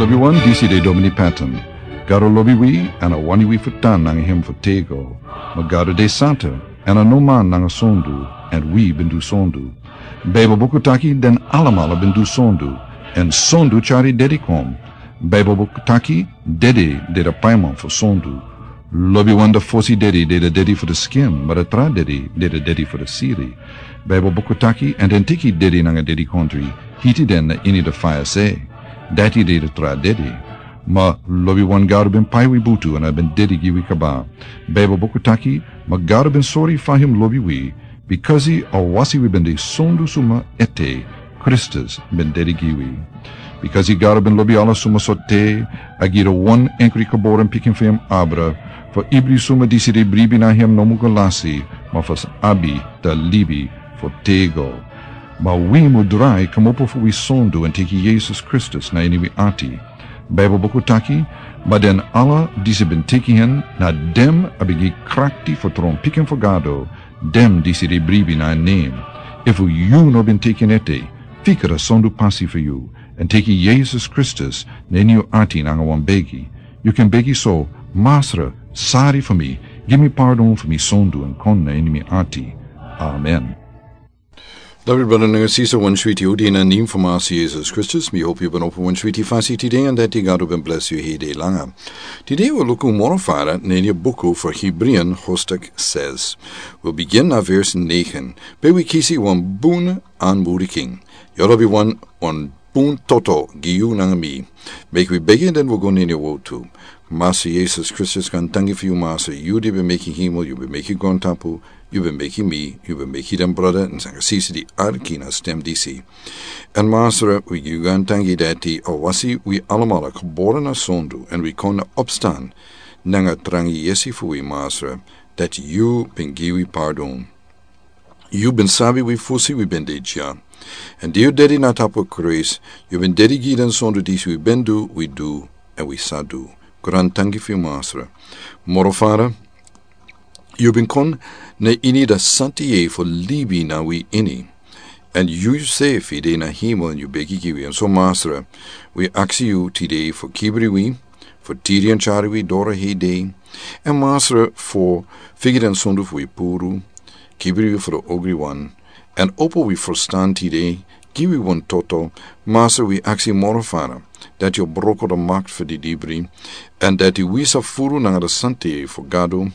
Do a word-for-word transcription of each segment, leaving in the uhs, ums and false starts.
Wi wan disi de Domini Patton. Gado lobi wi, èn a wani wi fu tan nanga hem fu tego. Ma Gado de santa, èn a no man nanga sondu, èn wi ben du sondu. Baibel buku taki den alamala ben du sondu, èn sondu tyari dedi kon. Baibel buku taki dedi de de paiman fu sondu. Lobiwan de fosi dedi de de dedi fu de skin, ma de tra dedi de de dedi fu de siri. Baibel buku taki, èn den teki dedi nanga dedi kontri, hiti den na ini de faya se. Dati de de tra dedi. Ma lobiwan Gado ben pai wi butu èn a ben dedi gi wi kaba. Baibel buku taki, ma Gado ben sori fa hem lobi wi, bikasi a wasi wi ben de sondu suma ete, Kristus ben dedi gi wi. Bikasi Gado ben lobi ala suma so te, a gi de wan enkri geboren pikin fu hem abra, fu ibri suma disi de bribi na hem no mu go lasi, ma fu abi de libi fu tego. Ma wi mu drai kmopo fu wi sondu èn teki Yesus Kristus na ini wi ati. Baibel buku taki, ma den ala disi ben teki hen, na dem a ben gi krakti fu tron pikin fu Gado, dem disi de bribi na en nen. Efu yu no ben teki en ete, fika de sondu pasi fu yu, èn teki Yesus Kristus na ini yu ati nanga wan begi. Yu kan begi so, Masra, sari fu mi, gi mi pardon fu mi sondu èn kon na ini mi ati. Amen. David brada nanga sisa, wan switi odi na nen fu Masra Yesus Kristus. Mi hopi yu ben opo wan switi fasi tide èn dati Gado ben blesi yu heri langa. Tide wi luku moro fara na ini buku fu Hebreeën hoofdstuk zes. Wi bigin na vers negen. Pe wi kisi wan bun aanmoedigen. Yu lobiwan, wan bun toto gi yu nanga mi. Meki wi begi den wi go na ini yu wortu. Masra Yesus Kristus, gaantangi fu yu Masra, yu di ben meki hemel, yu ben meki grontapu, yu ben meki mi, yu ben meki den brada nanga sisa di arki na stem disi. Èn Masra, wi gi yu gaantangi dati a wasi wi alamala geboren na sondu èn wi kon na opstan nanga trangi yesi fu wi Masra, dati yu ben gi wi pardon. Yu ben sabi wi fosi wi ben de dya. Èn di yu dedi na tapu kruis, yu ben dedi gi den sondu disi wi ben du, wi du, èn wi sa du. Gaantangi fu yu Masra. Moro fara, yu ben kon na ini de santa yeye fu libi na wi ini. Èn yu yusefi de na hemel èn yu begi gi wi. Èn so Masra, wi aksi yu tide fu kibri wi, fu tiri èn tyari wi doro hei dei. Èn Masra, fu figi den sondu fu wi puru, kibri wi fu de ogriwan, èn opo wi ferstan tide, gi wi wan toto. Masra, wi aksi moro fara, dati yu broko de makti fu di dibri, èn dati wi sa furu nanga de santa yeye fu Gado.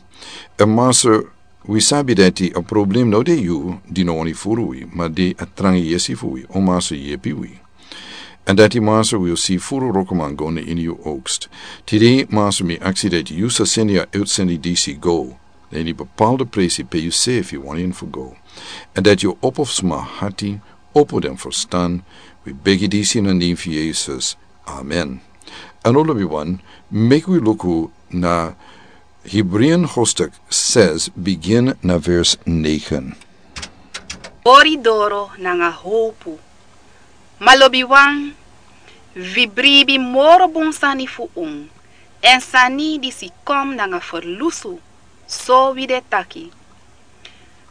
Èn Masra, wi sabi dati a problem no de yu di no wani furu wi, ma de a trangi yesi fu wi, o Masra yepi wi. Èn dati Masra wi o si furu wrokoman go na ini yu oogst. Tide Masra mi aksi dati yu sa seni a uitseni disi go na ini bepaalde presi pe yusefi wani en fu go. Èn dati yu opo sma hati, opo den ferstan, wi begi disi na nen fu Yesus. Amen. Èn lobiwan, meki wi luku na Hebreeën hoofdstuk zes, bigin na vers negen. Ori doro nanga howpu. Ma lobiwan, wi bribi moro bun sani fu un, èn sani disi kon nanga ferlusu, so wi de taki.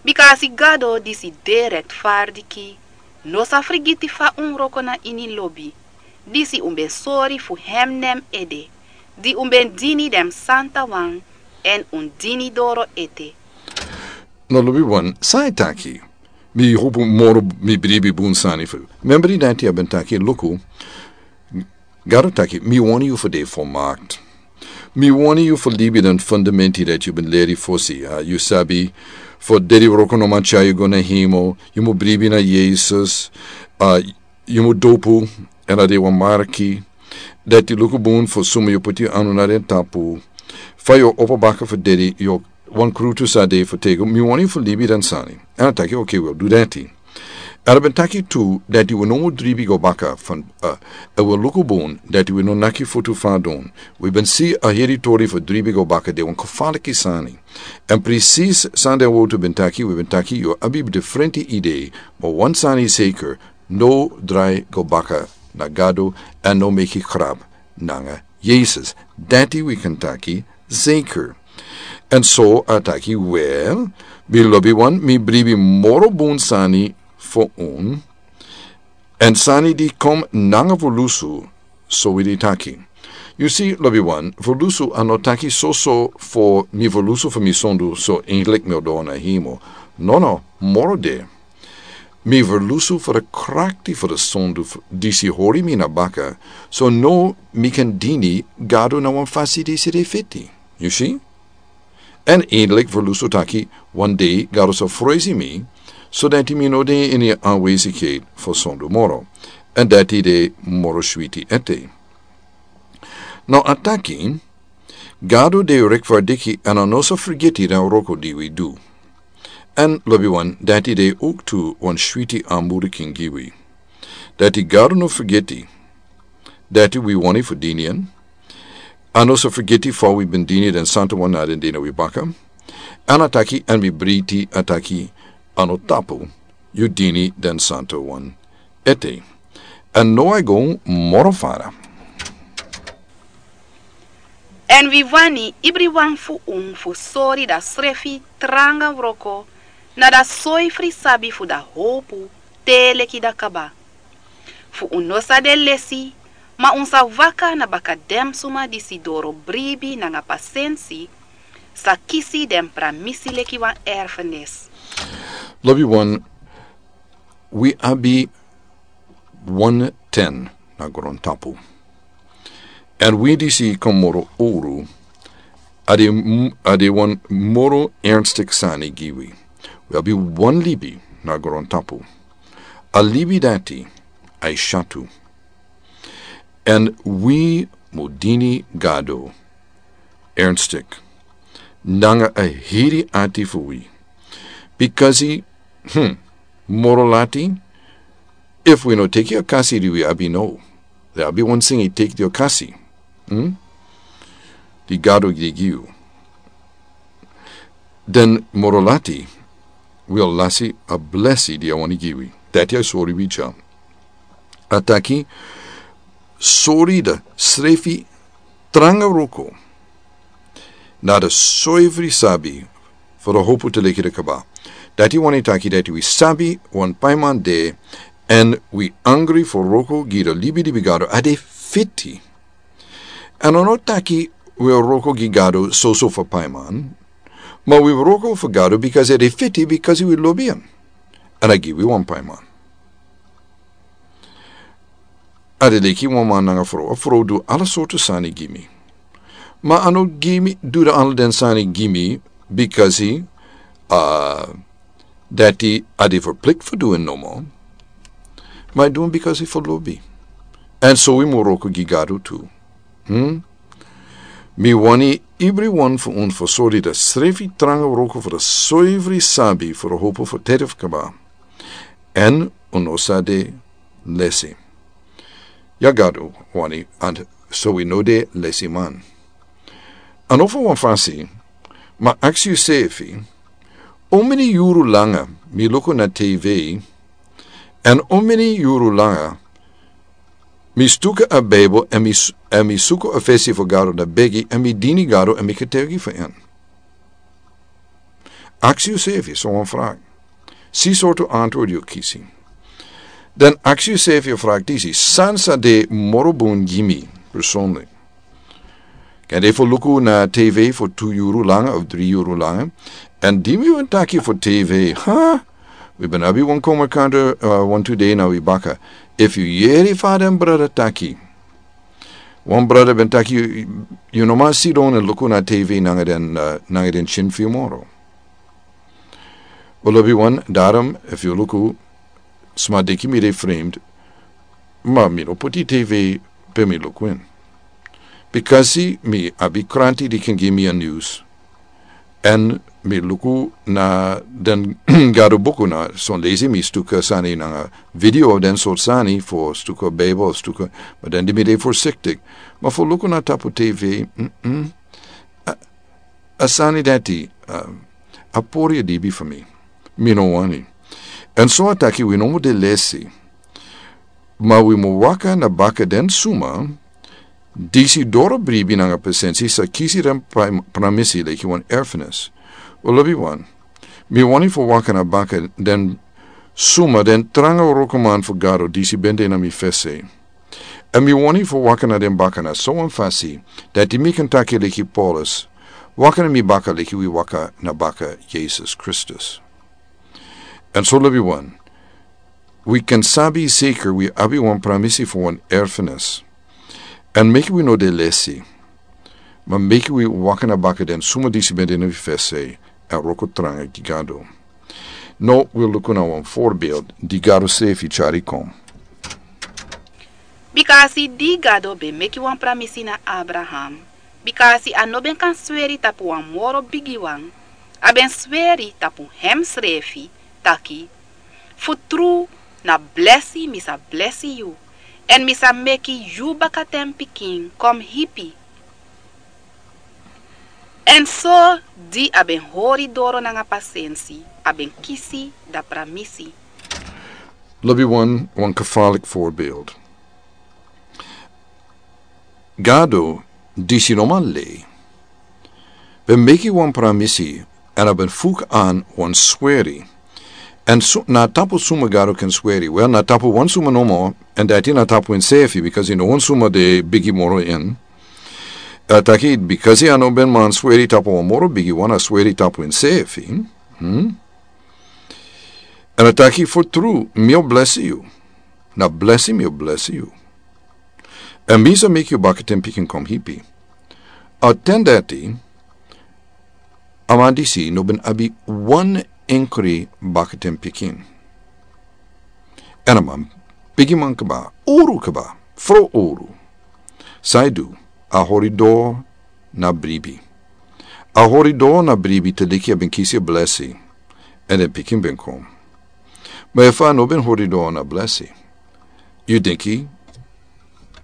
Bikasi Gado disi de rektfardiki, no sa frigiti fa un wroko na ini lobi, disi un ben sori fu hem nen ede, di un ben dini den santawan, èn un dini doro ete. No lobiwan, san a e taki? Mi howpu moro, mi bribi bun sani fu. Membri dati a ben taki, luku, Gado taki, mi wani yu fu de volmaakt. Mi wani yu fu libi den fundamenti dati yu ben leri fosi, a, yu sabi, fu dedi wroko no man tyari yu go na hemel, yu mu bribi na Yesus, a, yu mu dopu, èn a de wan marki, dati luku bun fu suma yu poti yu anu na den tapu, fa yu opo baka fu dedi, yu wan krutu sa de fu tego, mi wani yu fu libi den sani. Èn a taki, oke, wi o du dati. Èn a ben taki tu, dati wi no mu dribi go baka fan, a, èn wi o luku bun, dati wi no naki futu fadon. Wi ben si a heri tori fu dribi go baka de wan kofaliki sani. Èn presis san den wortu ben taki, wi ben taki yu abi diferenti idee, ma wan sani zeker, no drai go baka na Gado, èn no meki grap nanga Yesus. Dati wi kan taki zeker. Èn so a taki, wel, mi lobiwan, mi bribi moro bun sani fu un. Èn sani di kon nanga ferlusu, So wi di taki. Yu si, lobi wan, fu lusu a no taki soso fu mi fu lusu fu mi sondu so engelik mi o doro na himo. Nono, moro de. Mi fu lusu fu di krakti fu di sondu disi hori mi na baka, so no mi kan dini Gado na wan fasi disi de fiti. Yu si? Èn endelik fu lusu taki, wan dei Gado sa fresi mi, so dati mi no de ini a anwesikheid fu sondu moro, èn dati de moro switi ete. Now a taki, Gado de rekfardiki èn a no sa fergiti den wroko di wi du. Èn lobi wan, dati de owktu wan switi anmurikin gi wi. Dati Gado no fergiti, dati wi wani fu dini en, a no sa fergiti fa wi ben dini den santa wan na den dei na wi baka. Èn a taki, èn mi briti a taki, a no tapu, yu dini den santa wan ete. Èn no a go moro fara. Èn wi wani ibriwan fu un fu sori da srefi tranga wroko, na da soifri sabi fu da howpu, te leki da kaba. Fu un no sa de lesi, ma un sa waka na baka den suma disi doro bribi nanga pasensi, sa kisi den pramisi leki wan erfenis. Lobi wan, wi abi wan ten na grontapu. Èn wi disi kon moro owru, a de m-, a de wan moro ernstik sani gi wi. Wi abi wan libi na grontapu. A libi dati a e syatu. Èn wi mu dini Gado ernstik nanga a heri ati fu wi. Bikasi, hmm, moro lati, efu wi no teki a kasi di wi abi now, den abi wan singi teki di a kasi, hmm, di Gado gi yu. Den moro lati, wi o lasi a blesi di a wani gi wi. Dati a sori wi dya. A taki, sori da srefi tranga wroko, na da soifri sabi fu da howpu te leki da kaba. Dati wani taki dati wi sabi wan paiman de, èn wi angri fu wroko gi da libi di wi Gado a de fiti. Èn a no taki wi wroko gi Gado soso fu paiman, ma wi wroko fu Gado bikasi a de fiti, bikasi wi lobi en. Èn a gi wi wan paiman. A de leki wan man nanga frow, a frow du ala sortu sani gi mi. Ma a no gi mi, du da ala den sani gi mi, bikasi, ah, dati a de verplikt fu du en nomo. Ma a du en bikasi fu lobi. Èn so wi mu wroko gi Gado tu. Hmm? Mi wani ibriwan fu un fu sori da srefi tranga wroko fu da soifri sabi fu da howpu fu tede fu kaba. Èn un no sa de lesi. Ya Gado wani, èn so wi no de lesiman. A no fu wan fasi, ma aksi yusefi, how many yuru langa mi luku na T V, èn how many yuru langa mi stuka a Bijbel, èn mi s-, èn mi suku a fesi fu Gado na begi, èn mi dini Gado, èn mi ketegi fu en. Aksi yusefi so wan vraag. Si sortu antwoord yu kisi. Dan aksi yusefi a vraag disi, san sa de moro bun gi mi, personally. Kan de fu luku na T V fu tu yuru langa of dri yuru langa. Èn di mi ben taki fu T V, ha? Wi ben abi wan komerkanta, uh, wan tu dei na wi baka. Efu yu yere fa den brada taki. Wan brada ben taki, yu, yu no man sidon èn luku na T V nanga den, uh, nanga den syin fu yu moro. Wel, lobi wan, daarom, efu yu luku, sma denki mi de vreemd, ma mi no poti T V pe mi luku en. Bikasi mi abi kranti di kan gi mi a news. Èn mi luku na den Gado buku na son leisi mi stuka sani nanga video den sortu sani fu stuka Bijbel, stuka, ma dan di mi de voorzichtig. Ma fu luku na tapu T V, mm-mm. A, a sani dati, a, a pori a dibi fu mi. Mi no wani. Èn so a taki wi no mu de lesi. Ma wi mu waka na baka den suma disi doro bribi nanga pasensi sa kisi den pra-, pramisi leki wan erfenis. Wel, lobi wan, mi wani fu waka na baka den suma, den tranga wrokoman fu Gado disi ben de na mi fesi. Èn mi wani fu waka na den baka na sowan fasi dati mi kan taki leki Paulus, waka na mi baka leki wi waka na baka Yesus Kristus. Èn so lobiwan, wi kan sabi seker wi abi wan pramisi fu wan erfenis. Èn meki wi no de lesi, ma meki wi waka na baka den suma disi ben de na wi fesi, èn wroko tranga gi Gado. No wi luku na wan forbeeld di Gado srefi tyari kon. Bika a si di Gado ben meki wan pramisi na Abraham, bika a si a no ben kan sweri tapu wan moro bigiwan, a ben sweri tapu hem srefi, taki: Fu tru, na blesi mi sa blesi yu, èn mi sa meki yu bakatenpikin kon hipi. Èn so di a ben hori doro nanga pasensi, a ben kisi da pramisi. Lobiwan, wan kefalik forbeeld. Gado, disi no man lei, ben meki wan pramisi, èn a ben fuk an wan sweri. Èn su-, na tapu suma Gado kan sweri? Wel, na tapu wan suma nomo, èn dati na tapu ensefi, bikasi no wan suma de bigi moro en. A taki, bikasi a no ben man sweri tapu wan moro bigiwan, a sweri tapu ensefi. Hmm? Èn a taki: Fu tru, mi o blesi yu. Na blesi mi o blesi yu. Èn mi sa meki yu bakatenpikin kon hipi. A ten dati, a man disi no ben abi wan enkri bakatenpikin. Èn a man, bigiman kaba, uru kaba, fro uru. San a du? A hori doro na bribi. A hori doro na bribi te leki a ben kisi blesi, èn den pikin ben kon. Ma efu a no ben hori doro na blesi, yu denki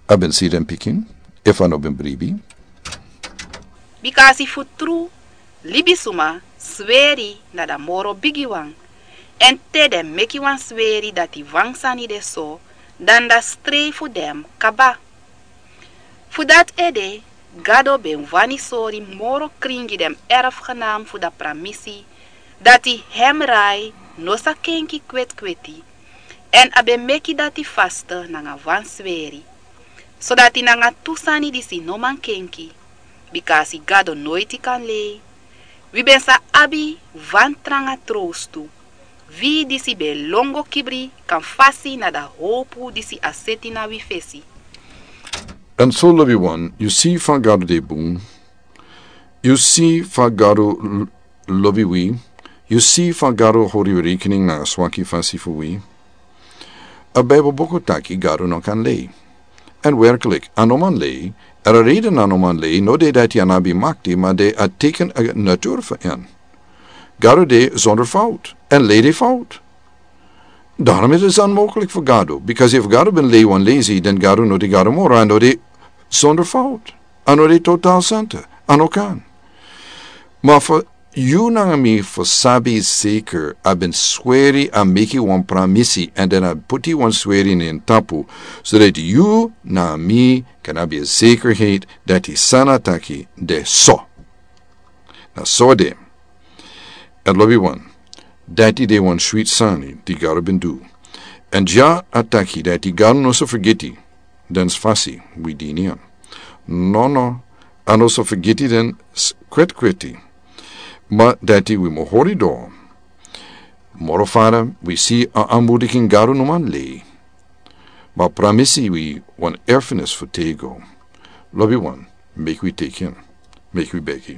a ben si den pikin, efu a no ben bribi? Bikasi fu tru, libisuma sweri na da moro bigiwan. Èn te den meki wan sweri dati wan sani de so, dan da strei fu den kaba. Fu dati ede, Gado ben wani sori moro krin gi den erfgenaam fu da pramisi, dati hem rai no sa kenki kwetkweti, èn a ben meki dati faste nanga wan sweri. Sodati nanga tu sani disi no man kenki, bikasi Gado noiti kan lei, wi ben sa abi wan tranga trowstu, wi disi ben lon go kibri kan fasi na da howpu disi a seti na wi fesi. Èn so lobiwan, yu si fa Gado de bun, yu si fa Gado l-, lobi wi, yu si fa Gado hori rekening na a swaki fasi fu wi. A Bijbel buku taki Gado no kan lei. Èn werkelijk, a no man lei, èn a reden a no man lei, no de dati a no abi makti, ma de a teken a natuur fu en. Gado de zonder fout, èn lei de fout. Daarom is het onmogelijk voor Gado, because if Gado ben lei wan lei si, dan Gado no de Gado moro, a no de zonder fout, a no de totaal santa, a no kan. Ma fu yu nanga mi fu sabi zeker, a ben sweri, a meki wan pramisi, èn dan a puti wan sweri na en tapu, zodat yu nanga mi kan abi a zekerheid dati san a taki de so. Na so de. Èn lobiwan, dati de wan switi sani di Gado ben du. Èn dya a taki dati Gado no sa fergiti den fasi wi dini en. No, no, a no sa fergiti den s-, kwetkweti. Ma dati wi mu hori doro. Moro fara, wi si a aanmoediging Gado no man lei. Ma pramisi wi wan erfenis fu tego. Lobiwan, meki wi teki en. Meki wi begi.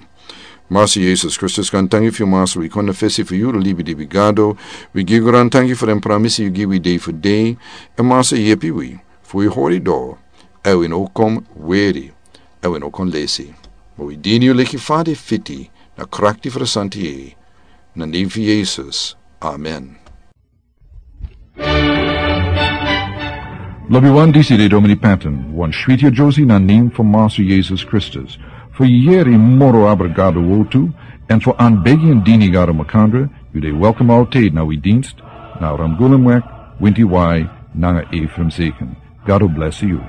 Master Jesus Kristus, gaantangi fu yu, Master, wi kon na fesi fu yu, libi libi Gado. Wi gi yu gaantangi fu den pramisi yu gi wi dei fu dei. Èn Master, yepi wi fu wi hori doro, èn wi no kon weri, èn wi no kon lesi. Ma wi dini yu leki fa a fiti, na krakti fu a santi yeye. Na nen fu Jesus. Amen. Lobiwan, disi de Domini Patton, wan switi yere na nen fu Master Jesus Kristus. Fu yere moro abra Gado wowtu, èn fu aanbegi èn dini Gado makandra, yu de welkom altijd na wi dienst, na Ramgulumweg, Winti Wai, nanga Ephraim Zeken. Gado blesi yu.